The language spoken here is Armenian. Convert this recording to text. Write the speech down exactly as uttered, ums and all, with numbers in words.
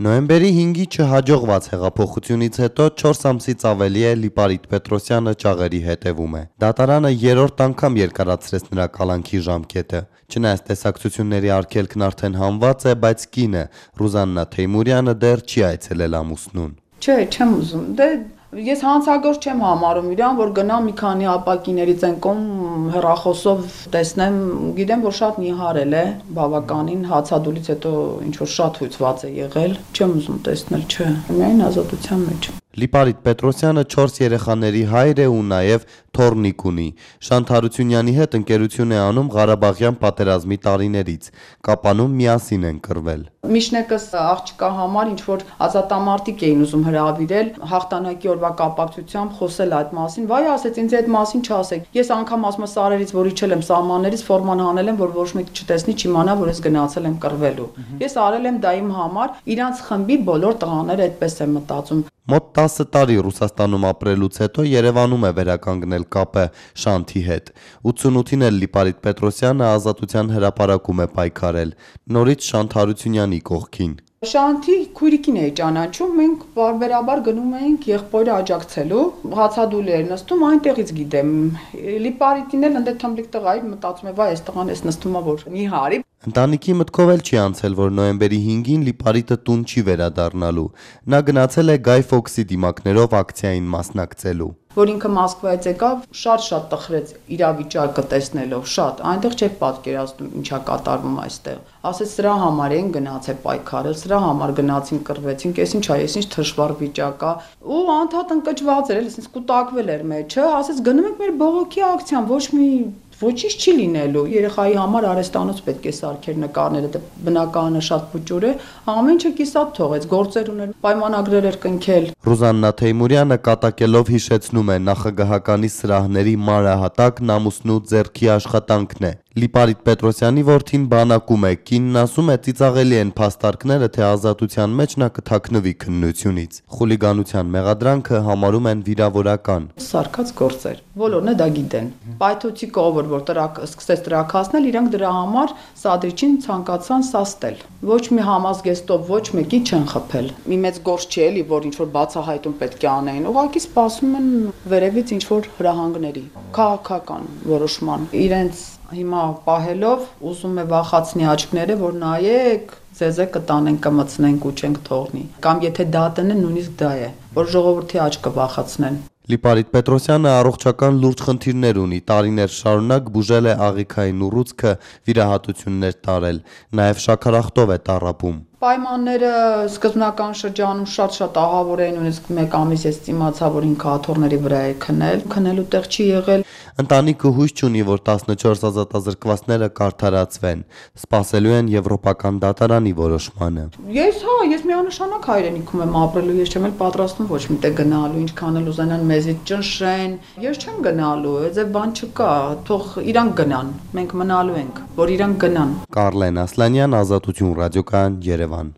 Նոյեմբերի հինգի չհաջողված հեղափոխությունից հետո չորս ամսից ավելի է Լիպարիտ Պետրոսյանը ճաղերի հետևում է։ Դատարանը երրորդ անգամ երկարացրեց նրա կալանքի ժամկետը։ Չնայած տեսակցությունների արգելքն արդեն հանված է, բայց կինը Ռուզաննա Թեյմուրյանը դեռ չի այցելել ամուսնուն։ Չէ, չեմ ուզում։ Դե ես հանցագործ չեմ համարում իրան, որ գնամ մի քանի ապակիներից են կողմ հեռախոսով տեսնեմ, գիտեմ, որ շատ նիհարել է, բավականին հացադուլից հետո ինչ որ շատ հույծված է եղել, չեմ ուզում տեսնել, չէ, միայն ազատության մեջ։ Լիպարիտ Պետրոսյանը չորս երեխաների հայր է ու նաև թոռնիկ ունի։ Շանթ Հարությունյանի հետ ընկերություն է անում Ղարաբաղյան պատերազմի տարիներից։ Կապանում միասին են կռվել։ Միշնեկս աղջկա համար ինչ որ ազատամարտիկ էին ուզում հրավիրել, հաղթանակի օրվա կապակցությամբ խոսել այդ մասին, վայ ասեց ինձ այդ մասին չասեք։ Ես անգամ ասում եմ սարերից, որ իջել եմ սահմաններից, ֆորման հանել եմ, որ ոչ մեկ չտեսնի, չիմանա, որ ես գնացել եմ կռվելու։ Ես արել եմ դա իմ համար, իրանց խմբի բոլոր տղաները այդպես են մտածում։ Մոտ տասը տարի Ռուսաստանում ապրելուց հետո Երևանում է վերականգնել կապը Շանթի հետ։ ութսունութին էլ Լիպարիտ Պետրոսյանը ազատության հրապարակում է պայքարել, նորից Շանթ Հարությունյանի կողքին։ Շանթի քույրիկին էի ճանաչում, մենք բարբերաբար գնում էինք եղբորը աջակցելու, հացադուլ էր նստում, այնտեղից գիտեմ։ Լիպարիտին էլ ընդ թմբլիկ տղա էր, մտածում է, վայ, այս տղան էս նստում է, որ մի հարի։ Ընտանիքի մտքով էլ չի անցել, որ նոյեմբերի հինգին Լիպարիտը տուն չի վերադառնալու։ Նա գնացել է Գայ Ֆոքսի դիմակներով ակցիային մասնակցելու։ Որ ինքը Մոսկվայից եկավ, շատ-շատ տխրեց իրավիճակը տեսնելով, շատ, այնտեղ չէր պատկերացնում ինչա կատարվում այստեղ։ Ասեց սրա համար են գնացել պայքարել, սրա համար գնացին կռվեցին, ես ինչ ա, ես ինչ թշվառ վիճակ ա։ Ու անդադ ընկճված էր, էլի կուտակվել էր մեջը, ասեց գնում ենք մեր բողոքի ակցիան, ոչ մի ոչինչ չի լինելու։ Երեխայի համար արհեստանոց պետք է սարքեր նկարները, դա բնականը շատ փուճուր է, ամեն ինչը կիսատ թողեց, գործեր ուներ, պայմանագրեր էր կնքել։ Ռուզաննա Թեյմուրյանը կատակելով հիշեցնում է նախագահականի սրահների մանրահատակն ամուսնու ձեռքի աշխատանքն է։ Լիպարիտ Պետրոսյանի որդին բանակում է, կինն ասում է ծիծաղելի են փաստարկները, թե ազատության մեջ նա կթաքնվի քննությունից։ Խուլիգանության մեղադրանքը համարում են վիրավորական։ Սարկած գործեր, բոլորն է դա գիտեն։ Պայթուցի կողը, որ տրակ սկսեց տրակացնել, իրանք դրա համար սադրիչին ցանկացան սաստել։ Ոչ մի համազգեստով ոչ մեկի չեն խփել։ Մի մեծ գործ չի էլի, որ ինչ որ բացահայտում պետք է անեին։ Ուղղակի սպասում են վերևից ինչ որ հրահանգների, քաղաքական որոշման։ Իրենց հիմա պահելով ուզում է վախացնի աչքները, որ նայեք, ձեզ է կտանեն, կմցնենք ու չենք թողնի։ Կամ եթե դա տնեն, նույնիսկ դա է, որ ժողովրդի աչքը վախացնեն։ Լիպարիտ Պետրոսյանը առողջական լուրջ խնդիրներ ունի, տարիներ շարունակ բուժել է աղիքային ուռուցքը, վիրահատություններ տարել, նաև շաքարախտով է տառապում։ Պայմանները սկզբնական շրջանում շատ-շատ ահավոր էին, նույնիսկ մեկ ամիս ես իմացա, որ ինքը աթոռների վրա է քնել, քնելու տեղ չի եղել։ Ընտանիքը հույս չունի, որ տասնչորս ազատազրկվածները կարդարացվեն, սպասելու են եվրոպական դատարանի որոշմանը։ Ես հա, ես միանշանակ հայրենիքում եմ ապրելու, ես չեմ էլ պատրաստվում ոչ միտեղ գնալու, ինչքան էլ ուզենան մեզից ճնշեն, ես չեմ գնալու, այդպես բան չկա, թող իրանք գնան, մենք մնալու ենք, որ իրանք գնան։ Կարլեն Ասլանյան, Ազատություն ռադիոկայան, Երևան։